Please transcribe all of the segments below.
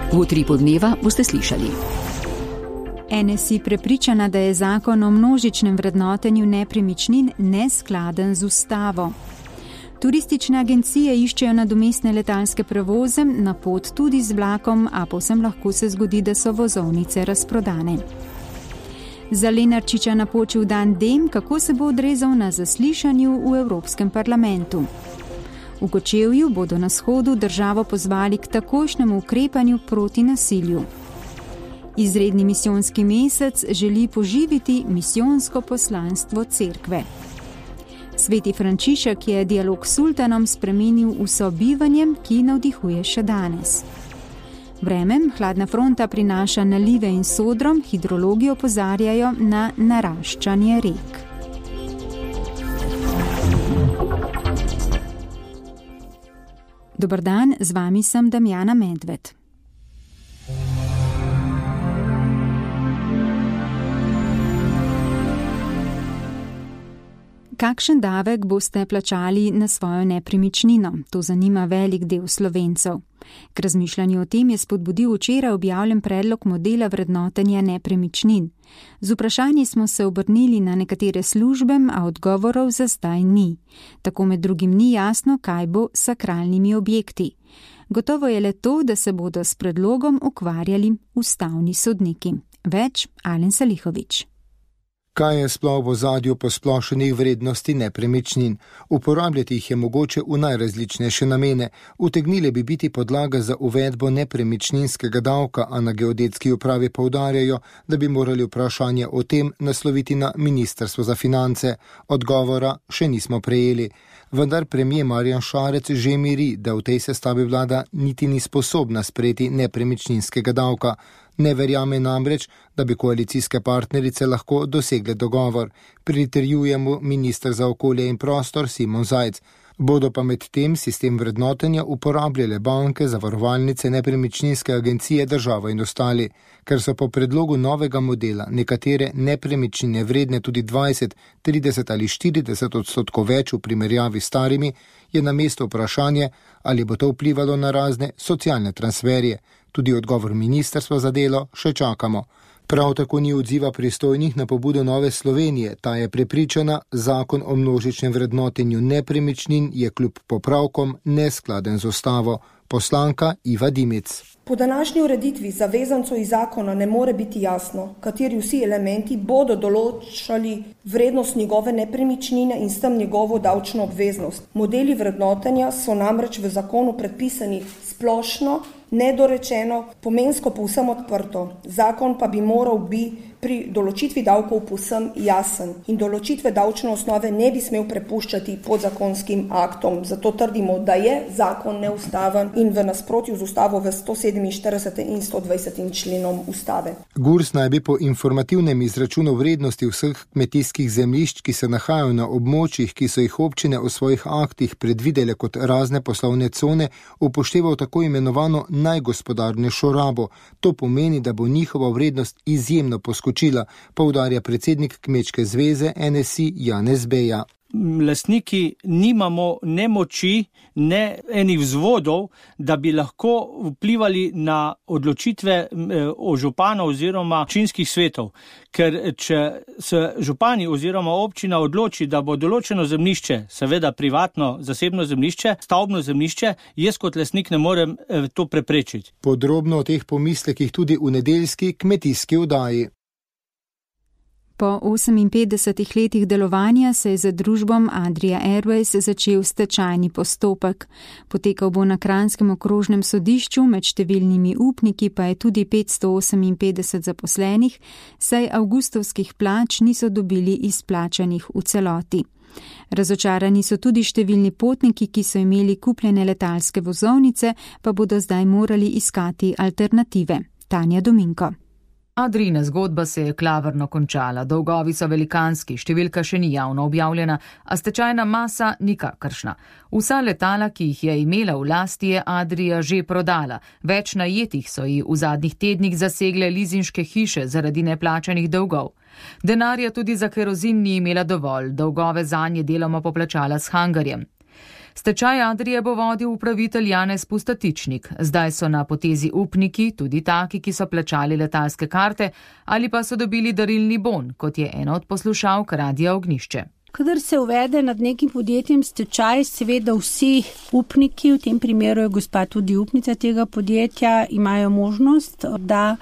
V Utripu dneva boste slišali. NSI prepričana, da je zakon o množičnem vrednotenju nepremičnin neskladen z ustavo. Turistične agencije iščejo nadomestne letalske prevoze, na pot tudi z vlakom, a povsem lahko se zgodi, da so vozovnice razprodane. Za Lenarčiča napočil dan D, kako se bo odrezal na zaslišanju v Evropskem parlamentu. V Kočevju bodo na shodu državo pozvali k takojšnjemu ukrepanju proti nasilju. Izredni misijonski mesec želi poživiti misijonsko poslanstvo cerkve. Sveti Frančišek je dialog s sultanom spremenil v sobivanje, ki navdihuje še danes. Vreme, hladna fronta prinaša nalive in sodro, hidrologi opozarjajo na naraščanje rek. Dober dan, z vami sem Damjana Medved. Kakšen davek boste plačali na svojo nepremičnino? To zanima velik del Slovencev. K razmišljanju o tem je spodbudil včeraj objavljen predlog modela vrednotenja nepremičnin. Z vprašanji smo se obrnili na nekatere službe, a odgovorov za zdaj ni. Tako med drugim ni jasno, kaj bo s sakralnimi objekti. Gotovo je le to, da se bodo s predlogom ukvarjali ustavni sodniki. Več Alen Salihović. Kaj je sploh v ozadju posplošenih vrednosti nepremičnin? Uporabljati jih je mogoče v najrazličnejše namene. Utegnile bi biti podlaga za uvedbo nepremičninskega davka, a na geodetski upravi poudarjajo, da bi morali vprašanje o tem nasloviti na Ministrstvo za finance. Odgovora še nismo prejeli. Vendar premier Marjan Šarec že miri, da v tej sestavi vlada niti ni sposobna sprejeti nepremičninskega davka. Ne verjame namreč, da bi koalicijske partnerice lahko dosegle dogovor, pritrjuje mu minister za okolje in prostor Simon Zajc. Bodo pa med tem sistem vrednotenja uporabljale banke, zavarovalnice, nepremičninske agencije, država in ostali. Ker so po predlogu novega modela nekatere nepremičnine vredne tudi 20, 30 ali 40% več v primerjavi s starimi, je na mesto vprašanje, ali bo to vplivalo na razne socialne transferje. Tudi odgovor ministrstva za delo še čakamo. Prav tako ni odziva pristojnih na pobudo Nove Slovenije. Ta je prepričana, zakon o množičnem vrednotenju nepremičnin je kljub popravkom neskladen z ustavo. Poslanka Iva Dimic. Po današnji ureditvi zavezancov iz zakona ne more biti jasno, kateri vsi elementi bodo določali vrednost njegove nepremičnine in s tem njegovo davčno obveznost. Modeli vrednotenja so namreč v zakonu predpisani splošno, nedorečeno, pomensko povsem odprto. Zakon pa bi moral biti pri določitvi davkov povsem jasen in določitve davčne osnove ne bi smel prepuščati podzakonskim aktom. Zato trdimo, da je zakon neustaven in v nasprotju z ustavo v 147. in 120. členom ustave. GURS naj bi po informativnem izračunu vrednosti vseh kmetijskih zemljišč, ki se nahajajo na območjih, ki so jih občine v svojih aktih predvidele kot razne poslovne cone, upošteval tako imenovano najgospodarnejšo rabo. To pomeni, da bo njihova vrednost izjemno poskočila, poudarja predsednik Kmečke zveze NSI Janez Beja. Lastniki nimamo ne moči, ne enih vzvodov, da bi lahko vplivali na odločitve o županov oziroma občinskih svetov. Ker če se župani oziroma občina odloči, da bo določeno zemljišče, seveda privatno, zasebno zemljišče, stavbno zemljišče, jaz kot lastnik ne morem to preprečiti. Podrobno o teh pomislekih tudi v nedeljski kmetijski oddaji. Po 58 letih delovanja se je za družbom Adria Airways začel stečajni postopek. Potekal bo na Kranjskem okrožnem sodišču, med številnimi upniki pa je tudi 558 zaposlenih, saj avgustovskih plač niso dobili izplačanih v celoti. Razočarani so tudi številni potniki, ki so imeli kupljene letalske vozovnice, pa bodo zdaj morali iskati alternative. Tanja Dominko. Adrijina zgodba se je klavrno končala, dolgovi so velikanski, številka še ni javno objavljena, a stečajna masa nikakršna. Vsa letala, ki jih je imela v lasti, je Adria že prodala. Več najetih so ji v zadnjih tednih zasegle lizinške hiše zaradi neplačanih dolgov. Denarja tudi za kerozin ni imela dovolj, dolgove zanje deloma poplačala s hangarjem. Stečaj Adrie bo vodil upravitelj Janez Pustatičnik. Zdaj so na potezi upniki, tudi taki, ki so plačali letalske karte ali pa so dobili darilni bon, kot je ena od poslušalk Radia Ognjišče. Kadar se uvede nad nekim podjetjem stečaj, seveda vsi upniki, v tem primeru je gospa tudi upnica tega podjetja, imajo možnost, da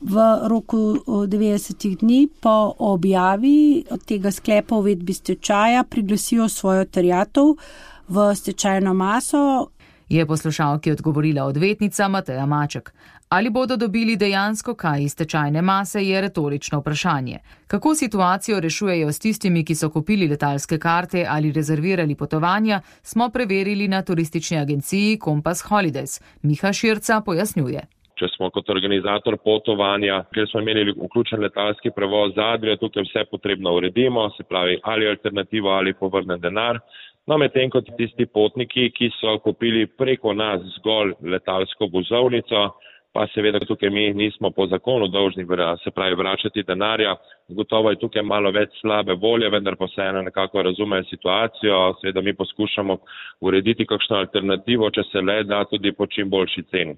v roku 90 dni po objavi tega sklepa o uvedbi stečaja priglasijo svojo terjatev v stečajno maso. Je poslušalki odgovorila odvetnica Mateja Maček. Ali bodo dobili dejansko kaj iz stečajne mase, je retorično vprašanje. Kako situacijo rešujejo s tistimi, ki so kupili letalske karte ali rezervirali potovanja, smo preverili na turistični agenciji Compass Holidays. Miha Širca pojasnjuje. Če smo kot organizator potovanja, ker smo imeli vključen letalski prevoz z Adrio, tukaj vse potrebno uredimo, se pravi ali alternativo ali povrnen denar. No, medtem kot tisti potniki, ki so kupili preko nas zgolj letalsko vozovnico, pa seveda tukaj mi nismo po zakonu dolžni, se pravi, vračati denarja. Gotovo je tukaj malo več slabe volje, vendar pa vseeno nekako razumejo situacijo. Seveda mi poskušamo urediti kakšno alternativo, če se le da tudi po čim boljši ceni.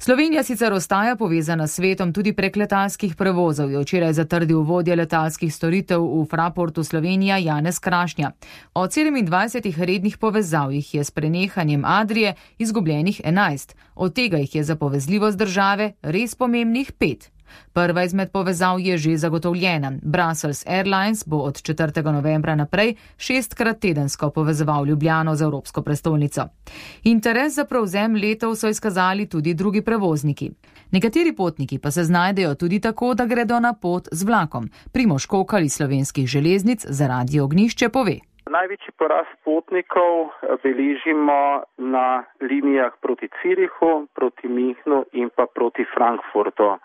Slovenija sicer ostaja povezana s svetom tudi prek letalskih prevozov, je včeraj zatrdil vodja letalskih storitev v Fraportu Slovenija Janez Krašnja. Od 27 rednih povezav jih je s prenehanjem Adrie izgubljenih 11, od tega jih je za povezljivost države res pomembnih 5. Prva izmed povezav je že zagotovljena. Brussels Airlines bo od 4. novembra naprej 6-krat tedensko povezoval Ljubljano z evropsko prestolnico. Interes za prevzem letov so izkazali tudi drugi prevozniki. Nekateri potniki pa se znajdejo tudi tako, da gredo na pot z vlakom. Primož Kokal iz Slovenskih železnic za Radio Ognjišče pove. Največji porast potnikov beležimo na linijah proti Zürichu, proti Münchnu in pa proti Frankfurtu.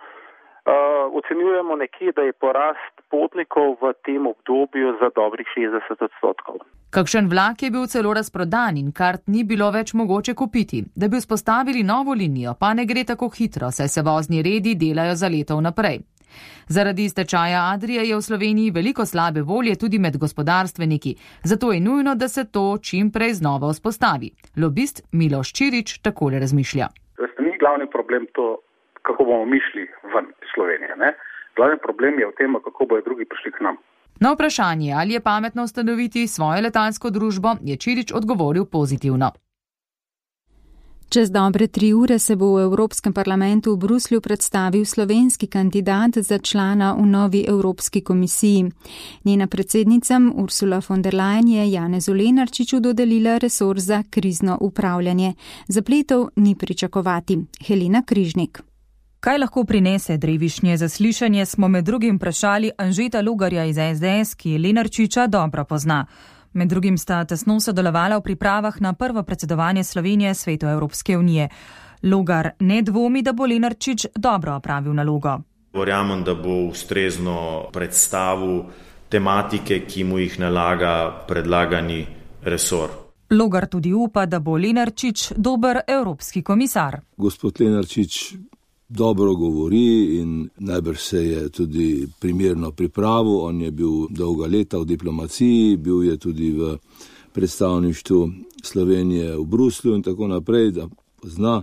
Ocenjujemo nekje, da je porast potnikov v tem obdobju za dobrih 60%. Kakšen vlak je bil celo razprodan in kart ni bilo več mogoče kupiti. Da bi vzpostavili novo linijo, pa ne gre tako hitro, saj se vozni redi delajo za leto naprej. Zaradi stečaja Adrie je v Sloveniji veliko slabe volje tudi med gospodarstveniki, zato je nujno, da se to čim prej znova vzpostavi. Lobist Miloš Čirič takole razmišlja. Ni glavni problem to, kako bomo mi šli ven iz Slovenije. Ne? Glavni problem je v tem, kako bodo drugi prišli k nam. Na vprašanje, ali je pametno ustanoviti svojo letalsko družbo, je Čirič odgovoril pozitivno. Čez dobre 3 ure se bo v Evropskem parlamentu v Bruslju predstavil slovenski kandidat za člana v novi Evropski komisiji. Njena predsednica Ursula von der Leyen je Janezu Lenarčiču dodelila resor za krizno upravljanje. Zapletov ni pričakovati. Helena Križnik. Kaj lahko prinese drevišnje zaslišanje, smo med drugim vprašali Anžeta Logarja iz SDS, ki Lenarčiča dobro pozna. Med drugim sta tesno sodelovala v pripravah na prvo predsedovanje Slovenije Svetu Evropske unije. Logar ne dvomi, da bo Lenarčič dobro opravil nalogo. Verjamem, da bo ustrezno predstavil tematike, ki mu jih nalaga predlagani resor. Logar tudi upa, da bo Lenarčič dober evropski komisar. Gospod Lenarčič dobro govori in najbrž se je tudi primerno pripravil. On je bil dolga leta v diplomaciji, bil je tudi v predstavništvu Slovenije v Bruslju in tako naprej, da zna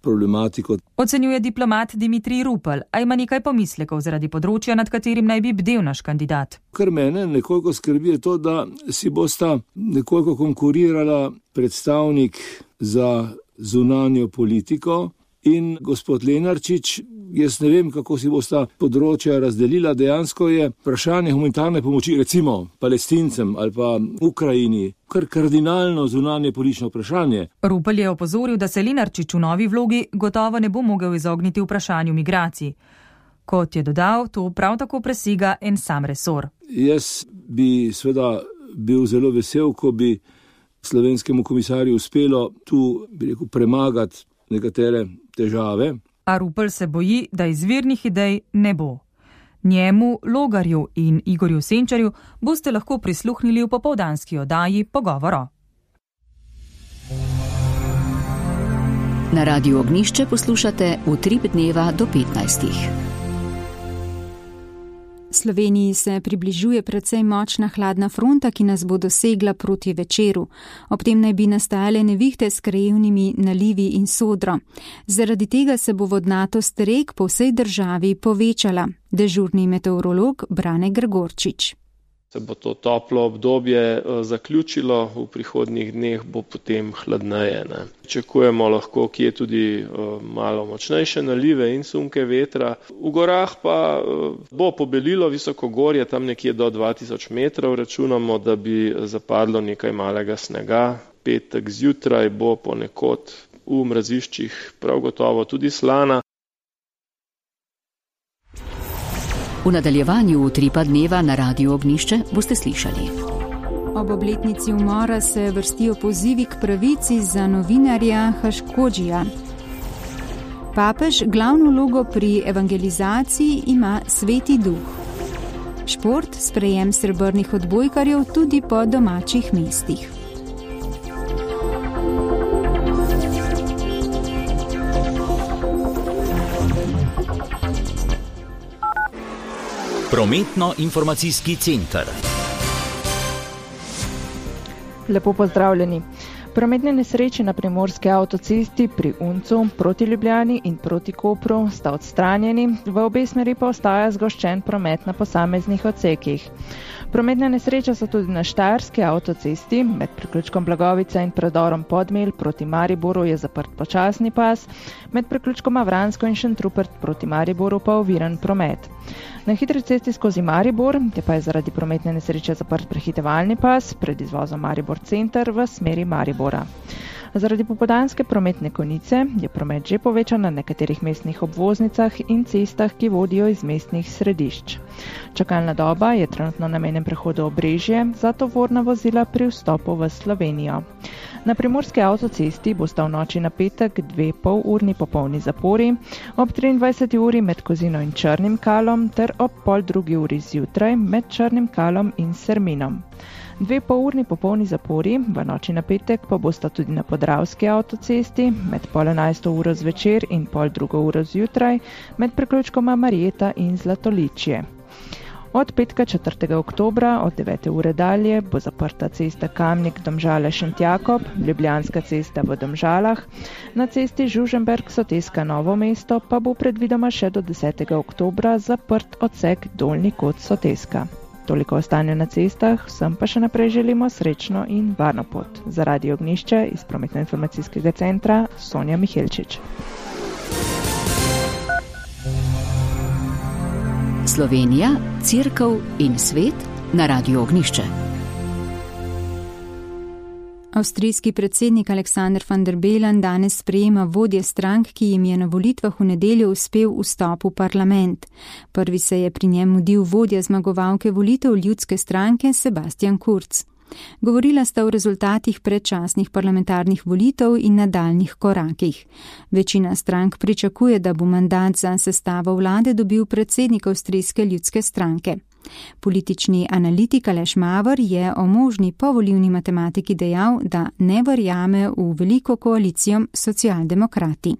problematiko. Ocenjuje diplomat Dimitrij Rupel, a ima nekaj pomislekov zaradi področja, nad katerim naj bi bdel naš kandidat. Kar mene nekoliko skrbi je to, da si bosta nekoliko konkurirala predstavnik za zunanjo politiko in gospod Lenarčič. Jaz ne vem, kako si bosta področja razdelila. Dejansko je vprašanje humanitarne pomoči recimo Palestincem ali pa Ukrajini kar kardinalno zunanje politično vprašanje. Rupel je opozoril, da se Lenarčič v novi vlogi gotovo ne bo mogel izogniti vprašanju migracij. Kot je dodal, to prav tako presega en sam resor. Jaz bi seveda bil zelo vesel, ko bi slovenskemu komisarju uspelo tu, bi rekel, premagati nekatere težave. A Rupel se boji, da izvirnih idej ne bo. Njemu, Logarju in Igorju Senčarju boste lahko prisluhnili v popoldanski oddaji Pogovoro. Na Radiu Ognjišče poslušate Utrip dneva do 15. Sloveniji se približuje precej močna hladna fronta, ki nas bo dosegla proti večeru. Ob tem naj bi nastajale nevihte s krajevnimi nalivi in sodro. Zaradi tega se bo vodnatost rek po vsej državi povečala. Dežurni meteorolog Brane Gregorčič. Se bo to toplo obdobje zaključilo, v prihodnjih dneh bo potem hladneje. Pričakujemo lahko kje tudi malo močnejše nalive in sunke vetra. V gorah pa bo pobelilo visokogorje, tam nekje do 2000 metrov. Računamo, da bi zapadlo nekaj malega snega. Petek zjutraj bo ponekod v mraziščih prav gotovo tudi slana. V nadaljevanju Utripa dneva na Radiu Ognjišče boste slišali. Ob obletnici umora se vrstijo pozivi k pravici za novinarja Haškodžija. Papež glavno vlogo pri evangelizaciji ima Sveti Duh. Šport, sprejem srebrnih odbojkarjev tudi po domačih mestih. Prometno-informacijski center. Lepo pozdravljeni. Prometne nesreče na primorski avtocesti pri Uncu proti Ljubljani in proti Kopru sta odstranjeni, v obe smeri pa ostaja zgoščen promet na posameznih odsekih. Prometne nesreče so tudi na Štajerski avtocesti, med priključkom Blagovica in predorom Podmelj proti Mariboru je zaprt počasni pas, med priključkoma Vransko in Šentrupert proti Mariboru pa oviran promet. Na hitri cesti skozi Maribor je pa je zaradi prometne nesreče zaprt prehitevalni pas pred izvozom Maribor center v smeri Maribora. Zaradi popoldanske prometne konice je promet že povečan na nekaterih mestnih obvoznicah in cestah, ki vodijo iz mestnih središč. Čakalna doba je trenutno na mejnem prehodu Obrežje za tovorna vozila pri vstopu v Slovenijo. Na primorski avtocesti bosta v noči na petek 2 polurni popolni zapori, ob 23. uri med Kozino in Črnim Kalom ter ob 12. uri zjutraj med Črnim Kalom in Serminom. 2 polurni popolni zapori v noči na petek pa bosta tudi na Podravski avtocesti med 10:30 uro zvečer in 12. uro zjutraj med priključkoma Marjeta in Zlatoličje. Od petka 4. oktobra od 9. ure dalje bo zaprta cesta Kamnik-Domžale-Šentjakob, Ljubljanska cesta v Domžalah, na cesti Žužemberk-Soteska-Novo mesto pa bo predvidoma še do 10. oktobra zaprt odsek Dolnji kot Soteska. Toliko o stanju na cestah, vsem pa še naprej želimo srečno in varno pot. Za Radio Ognjišče iz Prometno-informacijskega centra Sonja Mihelčič. Slovenija, Cerkev in svet na Radiu Ognjišče. Avstrijski predsednik Aleksander van der Bellen danes sprejema vodje strank, ki jim je na volitvah v nedeljo uspel vstop v parlament. Prvi se je pri njem mudil vodja zmagovalke volitev Ljudske stranke Sebastian Kurz. Govorila sta o rezultatih predčasnih parlamentarnih volitev in nadaljnih korakih. Večina strank pričakuje, da bo mandat za sestavo vlade dobil predsednik Avstrijske ljudske stranke. Politični analitik Aleš Mavr je o možni povolilni matematiki dejal, da ne verjame v veliko koalicijo socialdemokrati.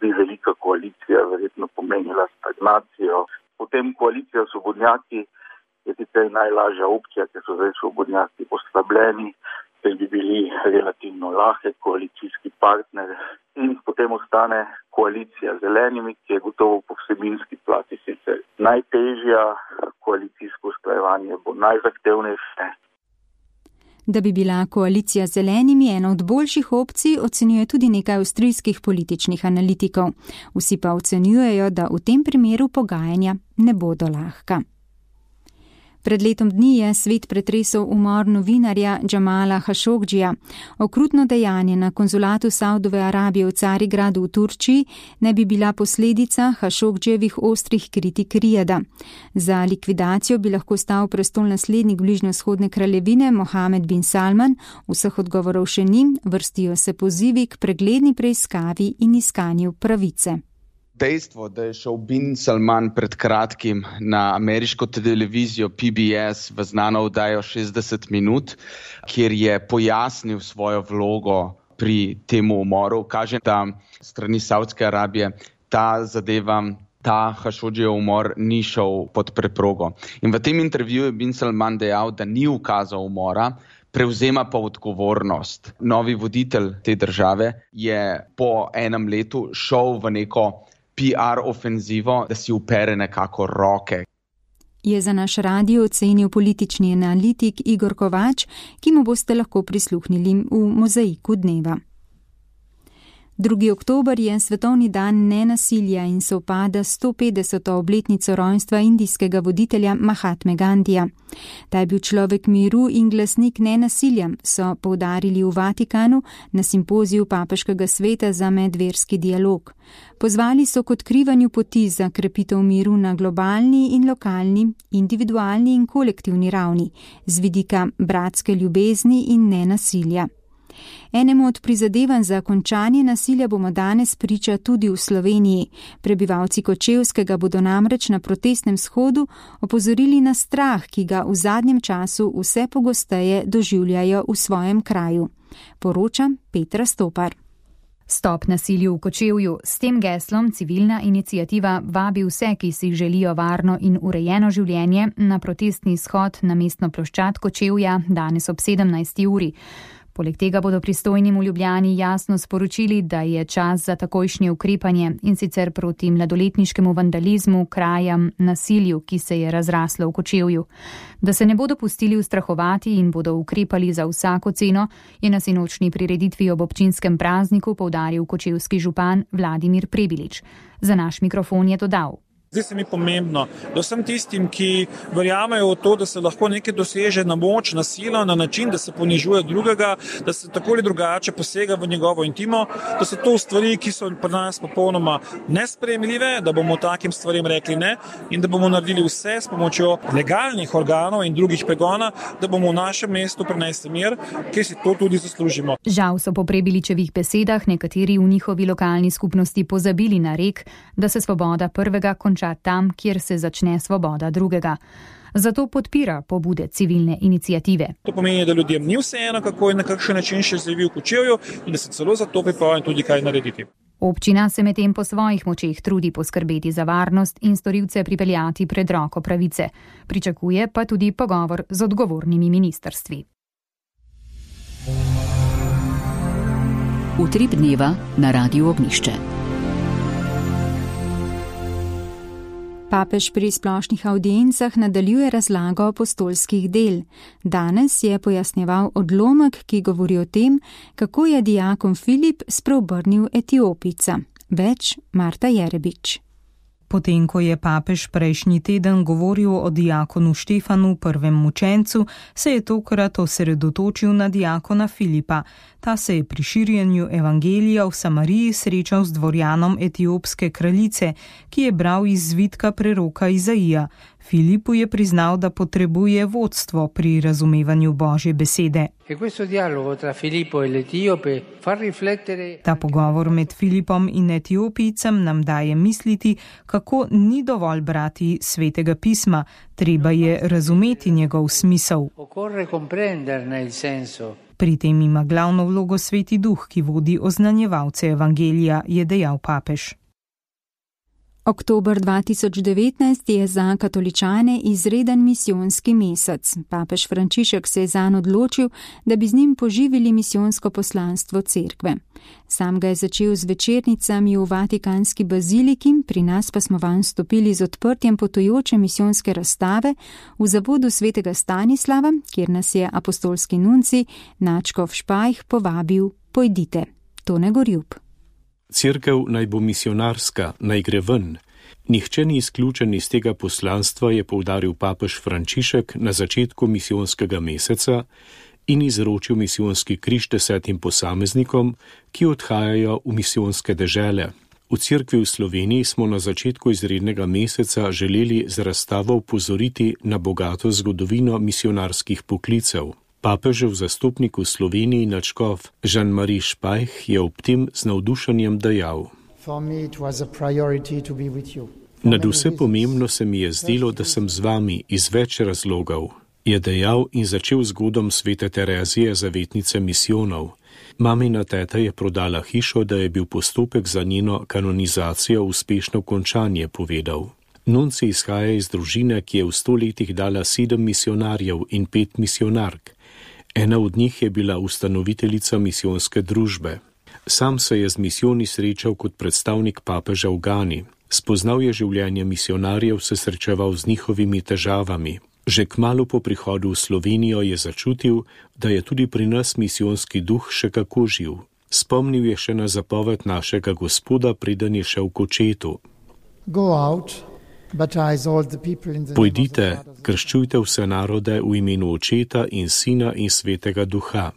Bi velika koalicija verjetno pomenila stagnacijo. Potem koalicija svobodnjaki je sicer najlažja opcija, ker so zdaj svobodnjaki oslabljeni, ker bi bili relativno lahek koalicijski partner. In potem ostane koalicija z zelenimi, ki je gotovo po vsebinski plati sicer najtežja, koalicijsko usklajevanje bo najzahtevnejše. Da bi bila koalicija z zelenimi ena od boljših opcij, ocenjuje tudi nekaj avstrijskih političnih analitikov. Vsi pa ocenjujejo, da v tem primeru pogajanja ne bodo lahka. Pred letom dni je svet pretresel umor novinarja Džamala Hašogdžija. Okrutno dejanje na konzulatu Saudove Arabije v Carigradu v Turčiji ne bi bila posledica Hašogdžijevih ostrih kritik Rijada. Za likvidacijo bi lahko stal prestolnaslednik bližnjevzhodne kraljevine Mohamed bin Salman, vseh odgovorov še ni, vrstijo se pozivi k pregledni preiskavi in iskanju pravice. Dejstvo, da je šel bin Salman pred kratkim na ameriško televizijo PBS v znano oddajo 60 minut, kjer je pojasnil svojo vlogo pri temu umoru, kaže, da strani Saudske Arabije ta zadeva ta Hašodžijev umor ni šel pod preprogo. In v tem intervjuju je bin Salman dejal, da ni ukazal umora, prevzema pa odgovornost. Novi voditelj te države je po enem letu šel v neko PR ofenzivo, da si upere nekako roke. Je za naš radio ocenil politični analitik Igor Kovač, ki mu boste lahko prisluhnili v Mozaiku dneva. 2. oktober je svetovni dan nenasilja in sovpada 150. obletnico rojstva indijskega voditelja Mahatme Gandhija. Ta je bil človek miru in glasnik nenasilja, so poudarili v Vatikanu na simpoziju Papeškega sveta za medverski dialog. Pozvali so k odkrivanju poti za krepitev miru na globalni in lokalni, individualni in kolektivni ravni, z vidika bratske ljubezni in nenasilja. Enemu od prizadevanj za končanje nasilja bomo danes priča tudi v Sloveniji. Prebivalci Kočevskega bodo namreč na protestnem shodu opozorili na strah, ki ga v zadnjem času vse pogosteje doživljajo v svojem kraju. Poroča Petra Stopar. Stop nasilju v Kočevju. S tem geslom civilna iniciativa vabi vse, ki si želijo varno in urejeno življenje, na protestni shod na mestno ploščad Kočevja danes ob 17. uri. Poleg tega bodo pristojnim v Ljubljani jasno sporočili, da je čas za takojšnje ukrepanje, in sicer proti mladoletniškemu vandalizmu, krajam, nasilju, ki se je razraslo v Kočevju. Da se ne bodo pustili ustrahovati in bodo ukrepali za vsako ceno, je na sinočni prireditvi ob občinskem prazniku poudaril kočevski župan Vladimir Prebilič. Za naš mikrofon je dodal: Zdi se mi pomembno, da vsem tistim, ki verjamejo v to, da se lahko nekaj doseže na moč, na silo, na način, da se ponižuje drugega, da se tako ali drugače posega v njegovo intimo, da so to stvari, ki so pri nas popolnoma nesprejemljive, da bomo takim stvarem rekli ne in da bomo naredili vse s pomočjo legalnih organov in drugih pregona, da bomo v našem mestu prinesli mir, ki si to tudi zaslužimo. Žal so po Prebiličevih besedah nekateri v njihovi lokalni skupnosti pozabili na rek, da se svoboda prvega konča tam, kjer se začne svoboda drugega. Zato podpira pobude civilne iniciative. To pomeni, da ljudem ni vseeno, kako in na kakšen način še živi v Kočevju in da se celo za to pripravljen tudi kaj narediti. Občina se medtem po svojih močeh trudi poskrbeti za varnost in storilce pripeljati pred roko pravice. Pričakuje pa tudi pogovor z odgovornimi ministrstvi. Utrip dneva na Radiu Ognjišče. Papež pri splošnih avdiencah nadaljuje razlago apostolskih del. Danes je pojasnjeval odlomek, ki govori o tem, kako je diakon Filip spreobrnil Etiopijca. Več Marta Jerebič. Potem, ko je papež prejšnji teden govoril o diakonu Štefanu, prvem mučencu, se je tokrat osredotočil na diakona Filipa. Ta se je pri širjenju evangelija v Samariji srečal z dvorjanom etiopske kraljice, ki je bral iz zvitka preroka Izaija. Filipu je priznal, da potrebuje vodstvo pri razumevanju Božje besede. Ta pogovor med Filipom in Etiopijcem nam daje misliti, kako ni dovolj brati svetega pisma, treba je razumeti njegov smisel. Pri tem ima glavno vlogo Sveti Duh, ki vodi oznanjevalce evangelija, je dejal papež. Oktober 2019 je za katoličane izreden misijonski mesec. Papež Frančišek se je zanj odločil, da bi z njim poživili misijonsko poslanstvo cerkve. Sam ga je začel z večernicami v Vatikanski baziliki, pri nas pa smo vanj stopili z odprtjem potujoče misijonske razstave v zavodu svetega Stanislava, kjer nas je apostolski nunci Načkov Špajh povabil: pojdite. Tone Gorjub. Cerkev naj bo misionarska, naj gre ven. Nihče ni izključen iz tega poslanstva, je poudaril papež Frančišek na začetku misijonskega meseca in izročil misijonski križ 10 posameznikom, ki odhajajo v misijonske dežele. V cerkvi v Sloveniji smo na začetku izrednega meseca želeli z razstavo opozoriti na bogato zgodovino misionarskih poklicev. Papežev zastopnik v Sloveniji nadškof Jean-Marie Špajh je ob tem z navdušenjem dejal: Nadvse pomembno se mi je zdelo, da sem z vami iz več razlogov, je dejal in začel zgodom svete Terezije, zavetnice misijonov. Mamina teta je prodala hišo, da je bil postopek za njeno kanonizacijo uspešno končan, je povedal. Nunci izhaja iz družine, ki je v 100 letih dala 7 misionarjev in 5 misionark. Ena od njih je bila ustanoviteljica misijonske družbe. Sam se je z misijoni srečal kot predstavnik papeža v Gani. Spoznal je življenje misionarjev, se srečeval z njihovimi težavami. Že kmalu po prihodu v Slovenijo je začutil, da je tudi pri nas misijonski duh še kako živ. Spomnil je še na zapoved našega Gospoda, preden je šel k očetu. Pojdite, krščujte vse narode v imenu Očeta in Sina in Svetega Duha.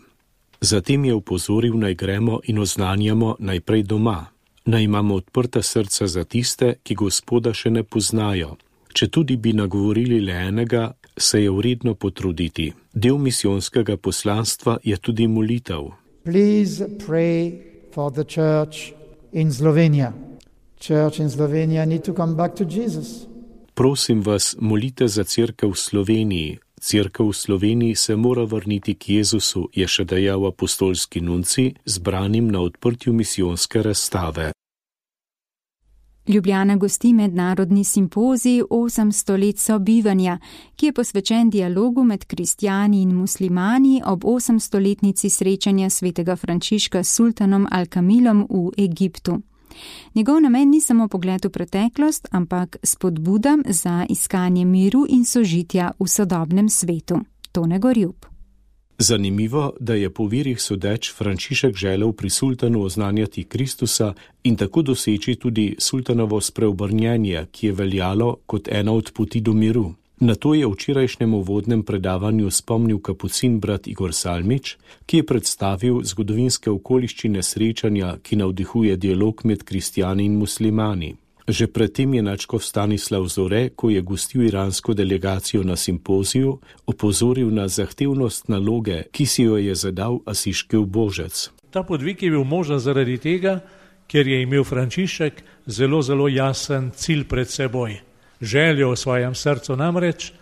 Zatem je upozoril, naj gremo in oznanjamo najprej doma. Naj imamo odprta srca za tiste, ki Gospoda še ne poznajo. Če tudi bi nagovorili le enega, se je vredno potruditi. Del misijonskega poslanstva je tudi molitev. Please pray for the church in Slovenia. Church in Slovenia need to come back to Jesus. Prosim vas, molite za cerkev v Sloveniji. Cerkev v Sloveniji se mora vrniti k Jezusu, je še dejal apostolski nunci, zbranim na odprtju misijonske razstave. Ljubljana gosti mednarodni simpozij 800 let sobivanja, ki je posvečen dialogu med kristjani in muslimani ob 800-letnici srečanja svetega Frančiška s sultanom Al-Kamilom v Egiptu. Njegov namen ni samo pogled v preteklost, ampak spodbuda za iskanje miru in sožitja v sodobnem svetu. Tone Gorjub. Zanimivo, da je po virih sodeč Frančišek želel pri sultanu oznanjati Kristusa in tako doseči tudi sultanovo spreobrnjenje, ki je veljalo kot ena od poti do miru. Na to je v včerajšnjem uvodnem predavanju spomnil kapucin brat Igor Salmič, ki je predstavil zgodovinske okoliščine srečanja, ki navdihuje dialog med kristjani in muslimani. Že predtem je nadškof Stanislav Zore, ko je gostil iransko delegacijo na simpoziju, opozoril na zahtevnost naloge, ki si jo je zadal asiški ubožec. Ta podvig je bil možen zaradi tega, ker je imel Frančišek zelo jasen cilj pred seboj. Željo v svojem srcu namreč,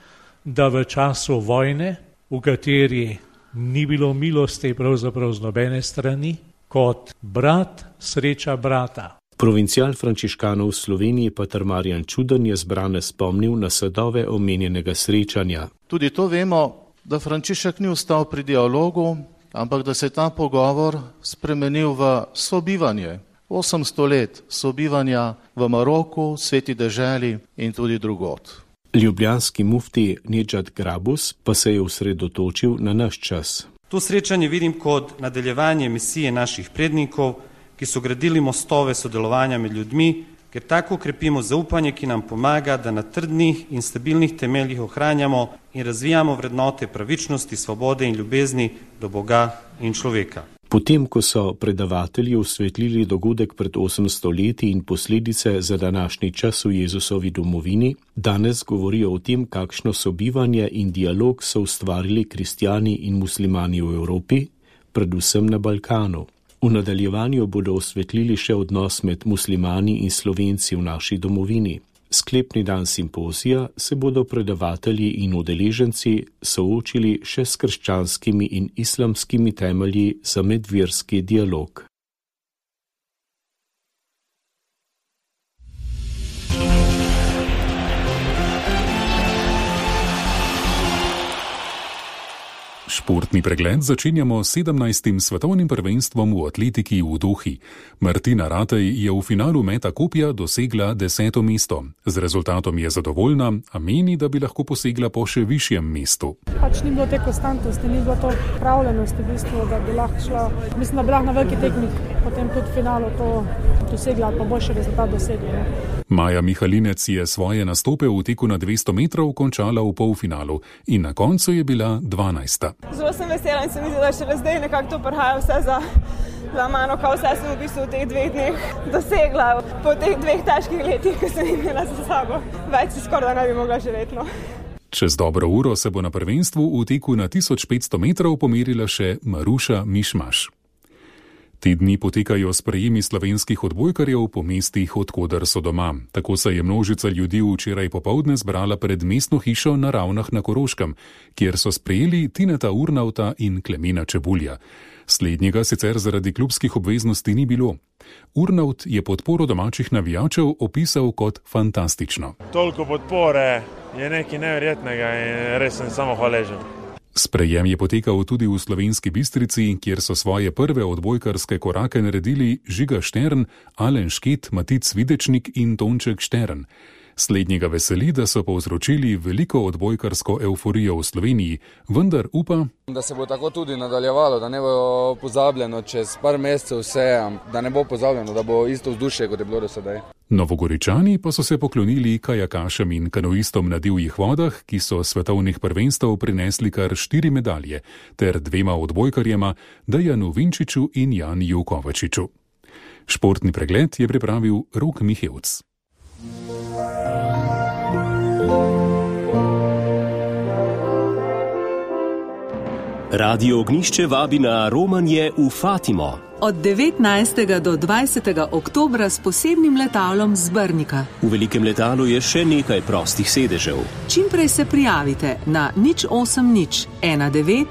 da v času vojne, v kateri ni bilo milosti pravzaprav z nobene strani, kot brat sreča brata. Provincial frančiškanov v Sloveniji pater Marjan Čuden je zbrane spomnil na sadove omenjenega srečanja. Tudi to vemo, da Frančišek ni ostal pri dialogu, ampak da se je ta pogovor spremenil v sobivanje. 800 let sobivanja v Maroku, Sveti deželi in tudi drugod. Ljubljanski mufti Nedžad Grabus pa se je osredotočil na naš čas. To srečanje vidim kot nadaljevanje misije naših prednikov, ki so gradili mostove sodelovanja med ljudmi, ker tako krepimo zaupanje, ki nam pomaga, da na trdnih in stabilnih temeljih ohranjamo in razvijamo vrednote pravičnosti, svobode in ljubezni do Boga in človeka. Potem, ko so predavatelji osvetlili dogodek pred 800 leti in posledice za današnji čas v Jezusovi domovini, danes govorijo o tem, kakšno sobivanje in dialog so ustvarili kristjani in muslimani v Evropi, predvsem na Balkanu. V nadaljevanju bodo osvetlili še odnos med muslimani in Slovenci v naši domovini. Sklepni dan simpozija se bodo predavatelji in udeleženci soočili še s krščanskimi in islamskimi temelji za medverski dialog. Športni pregled začenjamo s 17. svetovnim prvenstvom v atletiki v Dohi. Martina Ratej je v finalu meta kopja dosegla 10. mesto. Z rezultatom je zadovoljna, a meni, da bi lahko posegla po še višjem mestu. Pač ni bilo te konstantnosti, ni bilo to pravljenosti v bistvu, da bi lahko šla. Mislim, da bi lahko na veliki tekmi potem tudi v finalu to dosegla, pa boljši rezultat dosegla. Maja Mihalinec je svoje nastope v teku na 200 metrov končala v polfinalu in na koncu je bila 12. Zelo sem vesela in se mi zdi, da šele zdaj nekako to prihaja vse za mano, kao vse sem v bistvu v teh 2 dneh dosegla. Po teh 2 težkih letih, ki sem imela za sabo, več si skoraj ne bi mogla živeti. No. Čez dobro uro se bo na prvenstvu v teku na 1500 metrov pomerila še Maruša Mišmaš. Te dni potekajo sprejemi slovenskih odbojkarjev po mestih, odkoder so doma. Tako se je množica ljudi včeraj popoldne zbrala pred mestno hišo na Ravnah na Koroškem, kjer so sprejeli Tineta Urnauta in Klemena Čebulja. Slednjega sicer zaradi klubskih obveznosti ni bilo. Urnaut je podporo domačih navijačev opisal kot fantastično. Toliko podpore je nekaj neverjetnega in res sem samo hvaležen. Sprejem je potekal tudi v Slovenski Bistrici, kjer so svoje prve odbojkarske korake naredili Žiga Štern, Alen Šket, Matic Videčnik in Tonček Štern. Slednjega veseli, da so povzročili veliko odbojkarsko evforijo v Sloveniji, vendar upa, da se bo tako tudi nadaljevalo, da ne bo pozabljeno čez par mesecev vse, da ne bo pozabljeno, da bo isto vzdušje, kot je bilo do sedaj. Novogoričani pa so se poklonili kajakašem in kanoistom na divjih vodah, ki so svetovnih prvenstev prinesli kar 4 medalje, ter 2 odbojkarjema, Dejanu Vinčiču in Janiju Kovačiču. Športni pregled je pripravil Rok Mihevc. Radio Ognišče vabi na romanje v Fatimo. Od 19. do 20. oktobra s posebnim letalom z Brnika. V velikem letalu je še nekaj prostih sedežev. Čim prej se prijavite na 080 19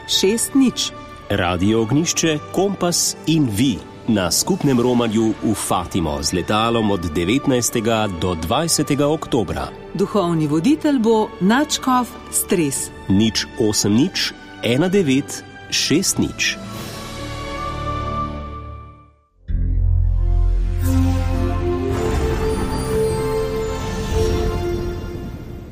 60. Radio Ognišče, Kompas in vi na skupnem romanju v Fatimo z letalom od 19. do 20. oktobra. Duhovni voditelj bo Načkov Stres. 080 19 60.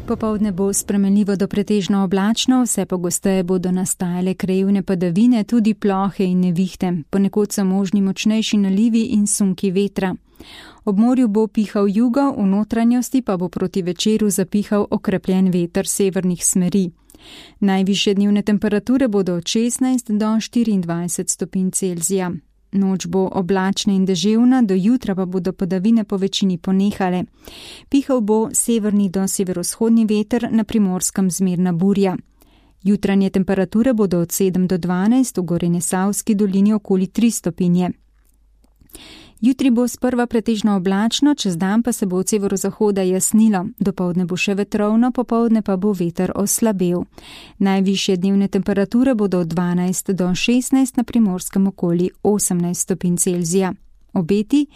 Popoldne bo spremenljivo do pretežno oblačno, vse pogosteje bodo nastajale krajevne padavine, tudi plohe in nevihte. Ponekod so možni močnejši nalivi in sunki vetra. Ob morju bo pihal jugo, v notranjosti pa bo proti večeru zapihal okrepljen veter severnih smeri. Najvišje dnevne temperature bodo od 16 do 24 stopinj Celzija. Noč bo oblačna in deževna, do jutra pa bodo padavine po večini ponehale. Pihal bo severni do severovzhodni veter, na Primorskem zmerna burja. Jutranje temperature bodo od 7 do 12, v Gorenjesavski dolini okoli 3 stopinje. Jutri bo sprva pretežno oblačno, čez dan pa se bo od severozahoda jasnilo. Dopoldne bo še vetrovno, popoldne pa bo veter oslabel. Najvišje dnevne temperature bodo od 12 do 16, na Primorskem okoli 18 stopinj Celzija. Obeti: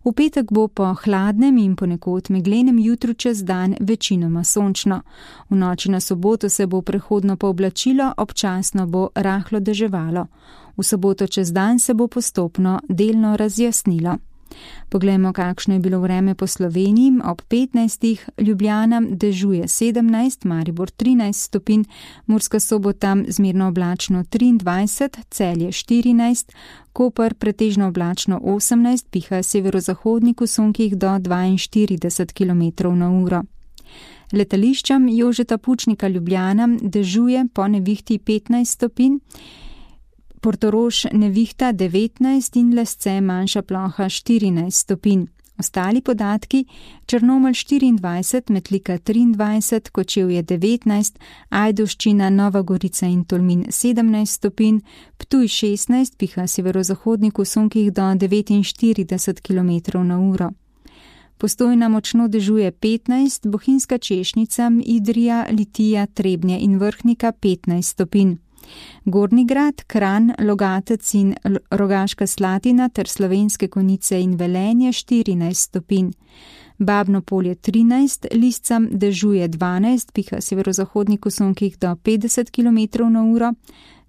v petek bo po hladnem in ponekod meglenem jutru čez dan večinoma sončno. V noči na soboto se bo prehodno pooblačilo, občasno bo rahlo deževalo. V soboto čez dan se bo postopno delno razjasnilo. Poglejmo, kakšno je bilo vreme po Sloveniji. Ob 15. Ljubljana dežuje 17, Maribor 13 stopinj, Murska Sobota zmerno oblačno 23, Celje 14, Koper pretežno oblačno 18, piha severozahodnik v sunkih do 42 km/h. Letališčem Jožeta Pučnika Ljubljana dežuje po nevihti 15 stopinj, Portorož nevihta 19 in Lesce manjša ploha 14 stopinj. Ostali podatki: Črnomelj 24, Metlika 23, Kočevje 19, Ajdovščina, Nova Gorica in Tolmin 17 stopinj, Ptuj 16, piha severozahodnik v sunkih do 49 km/h. Postojna močno dežuje 15, Bohinjska Češnica, Idrija, Litija, Trebnje in Vrhnika 15 stopinj. Gornji Grad, Kranj, Logatec in Rogaška Slatina ter Slovenske Konjice in Velenje 14 stopinj. Babno Polje 13, Liscam dežuje 12, piha severozahodnik v sunkih do 50 km/h.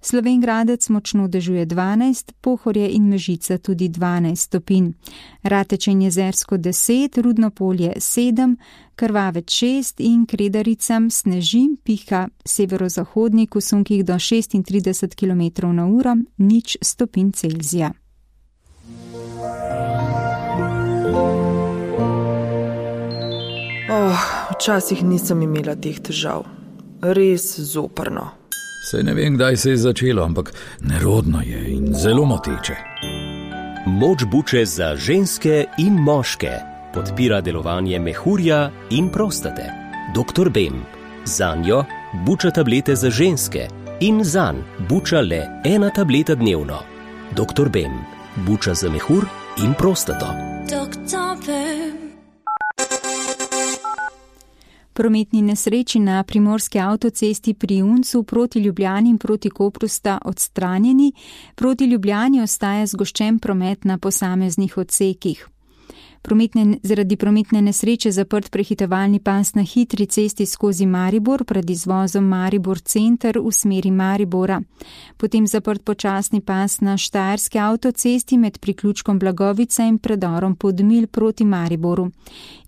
Slovenj Gradec močno dežuje 12, Pohorje in Mežica tudi 12 stopinj. Rateče in Jezersko 10, Rudno Polje 7, Krvavec 6 in Kredaricam sneži, piha severozahodnik v sunkih do 36 km/h, 0 stopinj Celzija. Včasih nisem imela teh težav. Res zoprno. Saj ne vem, kdaj se je začelo, ampak nerodno je in zelo moteče. Moč buče za ženske in moške podpira delovanje mehurja in prostate. Dr. Bem. Zanjo buča tablete za ženske in zanj buča le 1 tableta dnevno. Dr. Bem. buča za mehur in prostato. Prometni nesreči na primorski avtocesti pri Uncu proti Ljubljani in proti Kopru sta odstranjeni, proti Ljubljani ostaja zgoščen promet na posameznih odsekih. Zaradi prometne nesreče zaprt prehitevalni pas na hitri cesti skozi Maribor pred izvozom Maribor center v smeri Maribora. Potem zaprt počasni pas na Štajerski avtocesti med priključkom Blagovica in predorom Podmilj proti Mariboru.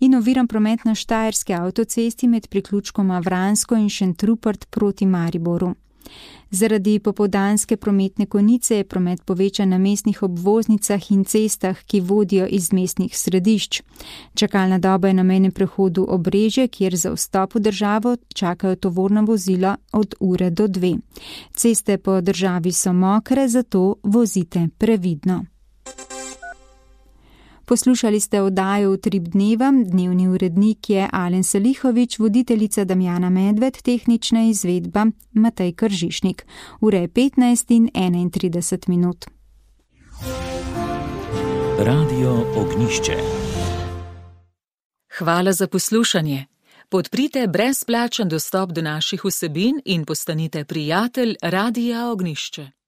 In oviran promet na Štajerski avtocesti med priključkoma Vransko in Šentrupert proti Mariboru. Zaradi popoldanske prometne konice je promet povečan na mestnih obvoznicah in cestah, ki vodijo iz mestnih središč. Čakalna doba je na mejnem prehodu Obrežje, kjer za vstop v državo čakajo tovorna vozila od ure do 2. Ceste po državi so mokre, zato vozite previdno. Poslušali ste oddajo Utrip dneva, dnevni urednik je Alen Salihovič, voditeljica Damjana Medved, tehnična izvedba Matej Kržišnik. Ure je 15 in 31 minut. Radio Ognjišče. Hvala za poslušanje. Podprite brezplačen dostop do naših vsebin in postanite prijatelj Radia Ognjišče.